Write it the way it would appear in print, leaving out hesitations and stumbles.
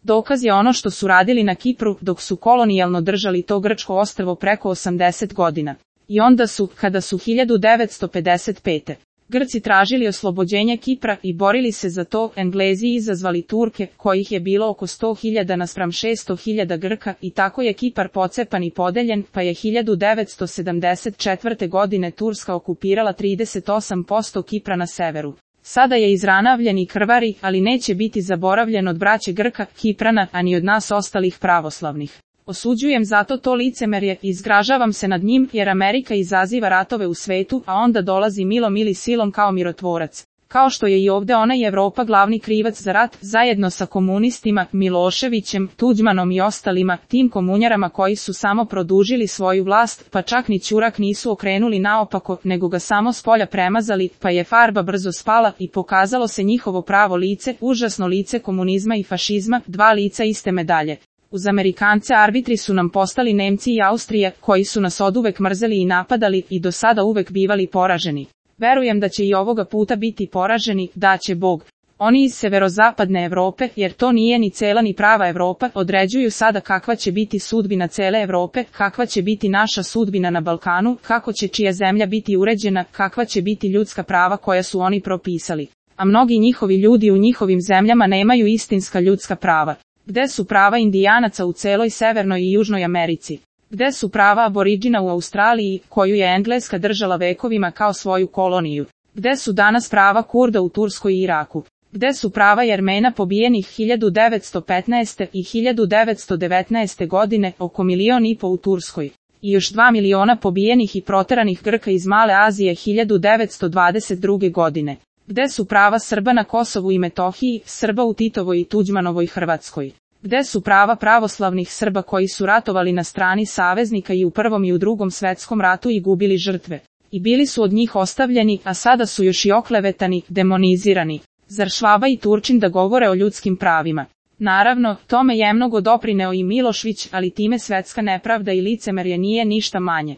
Dokaz je ono što su radili na Kipru dok su kolonijalno držali to grčko ostrvo preko 80 godina. I onda su, kada su 1955. Grci tražili oslobođenje Kipra i borili se za to, Englezi izazvali Turke, kojih je bilo oko 100.000 naspram 600.000 Grka, i tako je Kipar pocepan i podeljen, pa je 1974. godine Turska okupirala 38% Kipra na severu. Sada je izranavljen i krvari, ali neće biti zaboravljen od braće Grka, Kiprana, a ni od nas ostalih pravoslavnih. Osuđujem zato to licemerje i zgražavam se nad njim, jer Amerika izaziva ratove u svetu, a onda dolazi milom ili silom kao mirotvorac. Kao što je i ovde ona i Evropa glavni krivac za rat, zajedno sa komunistima, Miloševićem, Tuđmanom i ostalima, tim komunjarama koji su samo produžili svoju vlast, pa čak ni ćurak nisu okrenuli naopako, nego ga samo s polja premazali, pa je farba brzo spala i pokazalo se njihovo pravo lice, užasno lice komunizma i fašizma, dva lica iste medalje. Uz Amerikance arbitri su nam postali Nemci i Austrija, koji su nas oduvek mrzeli i napadali i do sada uvek bivali poraženi. Verujem da će i ovoga puta biti poraženi, da će Bog. Oni iz severozapadne Evrope, jer to nije ni cela ni prava Evropa, određuju sada kakva će biti sudbina cele Evrope, kakva će biti naša sudbina na Balkanu, kako će čija zemlja biti uređena, kakva će biti ljudska prava koja su oni propisali. A mnogi njihovi ljudi u njihovim zemljama nemaju istinska ljudska prava. Gde su prava Indijanaca u celoj Severnoj i Južnoj Americi? Gde su prava aboriđina u Australiji, koju je Engleska držala vekovima kao svoju koloniju? Gde su danas prava Kurda u Turskoj i Iraku? Gde su prava Jermena pobijenih 1915. i 1919. godine, oko 1,5 miliona u Turskoj? I još 2 miliona pobijenih i proteranih Grka iz Male Azije 1922. godine? Gde su prava Srba na Kosovu i Metohiji, Srba u Titovoj i Tuđmanovoj Hrvatskoj? Gde su prava pravoslavnih Srba koji su ratovali na strani saveznika i u Prvom i u Drugom svetskom ratu i gubili žrtve? I bili su od njih ostavljeni, a sada su još i oklevetani, demonizirani. Zar Švaba i Turčin da govore o ljudskim pravima? Naravno, tome je mnogo doprineo i Milošević, ali time svetska nepravda i licemerje nije ništa manje.